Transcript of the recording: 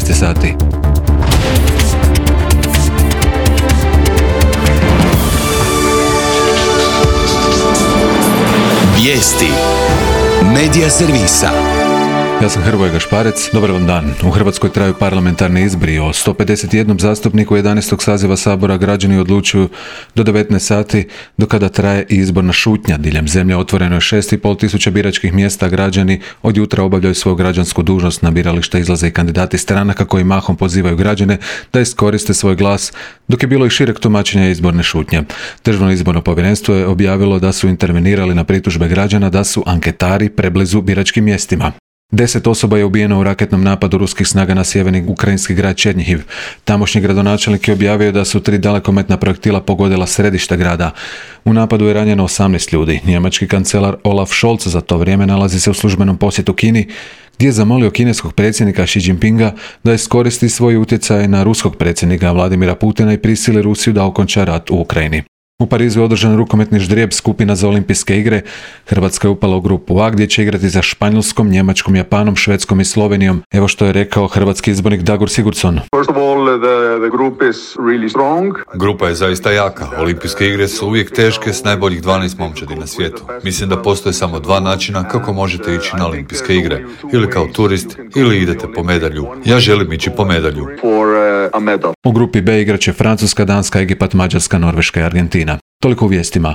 13 sati. Vijesti Medija servisa. Ja sam Hrvoje Gašparec, dobar vam dan. U Hrvatskoj traju parlamentarni izbori. O 151 zastupniku 11. saziva Sabora građani odlučuju do 19 sati, do kada traje i izborna šutnja. Diljem zemlje otvoreno je 6,5 tisuća biračkih mjesta. Građani od jutra obavljaju svoju građansku dužnost. Na birališta izlaze i kandidati stranaka koji mahom pozivaju građane da iskoriste svoj glas, dok je bilo i šireg tumačenja izborne šutnje. Državno izborno povjerenstvo je objavilo da su intervenirali na pritužbe građana da su anketari preblizu biračkim mjestima. 10 osoba je ubijeno u raketnom napadu ruskih snaga na sjeverni ukrajinski grad Černjihiv. Tamošnji gradonačelnik je objavio da su 3 dalekometna projektila pogodila središte grada. U napadu je ranjeno 18 ljudi. Njemački kancelar Olaf Scholz za to vrijeme nalazi se u službenom posjetu Kini, gdje je zamolio kineskog predsjednika Xi Jinpinga da iskoristi svoj utjecaj na ruskog predsjednika Vladimira Putina i prisili Rusiju da okonča rat u Ukrajini. U Parizu je održan rukometni ždrijeb skupina za olimpijske igre. Hrvatska je upala u grupu A gdje će igrati za Španjolskom, Njemačkom, Japanom, Švedskom i Slovenijom. Evo što je rekao hrvatski izbornik Dagur Sigurdsson. Grupa je zaista jaka. Olimpijske igre su uvijek teške s najboljih 12 momčadi na svijetu. Mislim da postoje samo 2 načina kako možete ići na olimpijske igre. Ili kao turist, ili idete po medalju. Ja želim ići po medalju. U grupi B igraće Francuska, Danska, Egipat, Mađarska, Norveška i Argentina. Toliko u vijestima.